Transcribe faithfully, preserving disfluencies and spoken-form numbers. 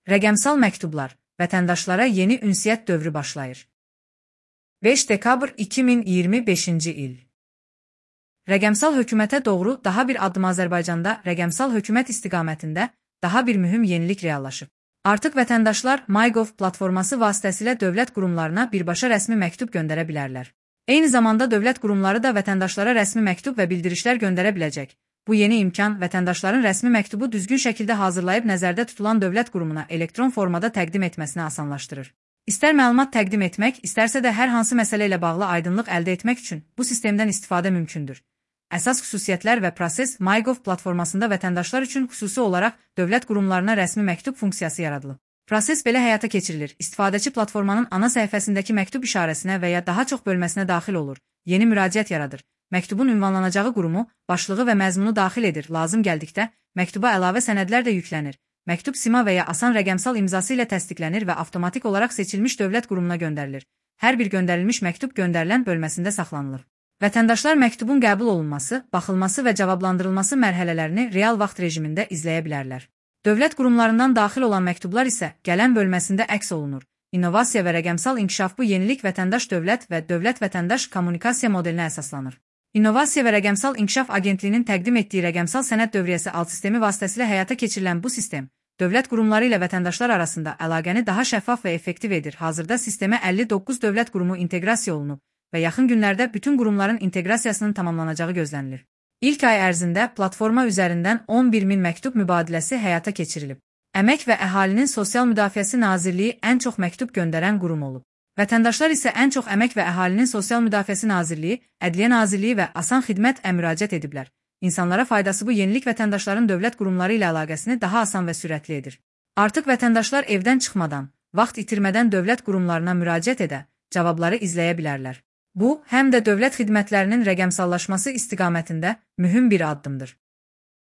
Rəqəmsal məktublar, vətəndaşlara yeni ünsiyyət dövrü başlayır. beş dekabr iki min iyirmi beşinci il. Rəqəmsal hökumətə doğru daha bir addım. Azərbaycanda rəqəmsal hökumət istiqamətində daha bir mühüm yenilik reallaşıb. Artıq vətəndaşlar MyGov platforması vasitəsilə dövlət qurumlarına birbaşa rəsmi məktub göndərə bilərlər. Eyni zamanda dövlət qurumları da vətəndaşlara rəsmi məktub və bildirişlər göndərə biləcək. Bu yeni imkan vətəndaşların rəsmi məktubu düzgün şəkildə hazırlayıb nəzərdə tutulan dövlət qurumuna elektron formada təqdim etməsini asanlaşdırır. İstər məlumat təqdim etmək, istərsə də hər hansı məsələ ilə bağlı aydınlıq əldə etmək üçün bu sistemdən istifadə mümkündür. Əsas xüsusiyyətlər və proses MyGov platformasında vətəndaşlar üçün xüsusi olaraq dövlət qurumlarına rəsmi məktub funksiyası yaradılıb. Proses belə həyata keçirilir. İstifadəçi platformanın ana səhifəsindəki məktub işarəsinə və ya daha çox bölməsinə daxil olur. Yeni müraciət yaradır. Məktubun ünvanlanacağı qurumu, başlığı və məzmunu daxil edir. Lazım gəldikdə məktuba əlavə sənədlər də yüklənir. Məktub sima və ya asan rəqəmsal imzası ilə təsdiqlənir və avtomatik olaraq seçilmiş dövlət qurumuna göndərilir. Hər bir göndərilmiş məktub göndərilən bölməsində saxlanılır. Vətəndaşlar məktubun qəbul olunması, baxılması və cavablandırılması mərhələlərini real vaxt rejimində izləyə bilərlər. Dövlət qurumlarından daxil olan məktublar isə gələn bölməsində əks olunur. İnnovasiya və rəqəmsal inkişaf. Bu yenilik vətəndaş-dövlət və dövlət-vətəndaş kommunikasiya modelinə əsaslanır. İnnovasiya və Rəqəmsal İnkişaf Agentliyinin təqdim etdiyi rəqəmsal sənəd dövriyyəsi alt sistemi vasitəsilə həyata keçirilən bu sistem, dövlət qurumları ilə vətəndaşlar arasında əlaqəni daha şəffaf və effektiv edir. Hazırda sistemə əlli doqquz dövlət qurumu inteqrasiya olunub və yaxın günlərdə bütün qurumların inteqrasiyasının tamamlanacağı gözlənilir. İlk ay ərzində platforma üzərindən on bir min məktub mübadiləsi həyata keçirilib. Əmək və Əhalinin Sosial Müdafiəsi Nazirliyi ən çox məktub göndərən qurum olub. Vətəndaşlar isə ən çox Əmək və Əhalinin Sosial Müdafiəsi Nazirliyi, Ədliyyə Nazirliyi və Asan Xidmət-ə müraciət ediblər. İnsanlara faydası bu yenilik vətəndaşların dövlət qurumları ilə əlaqəsini daha asan və sürətli edir. Artıq vətəndaşlar evdən çıxmadan, vaxt itirmədən dövlət qurumlarına müraciət edə, cavabları izləyə bilərlər. Bu, həm də dövlət xidmətlərinin rəqəmsallaşması istiqamətində mühüm bir addımdır.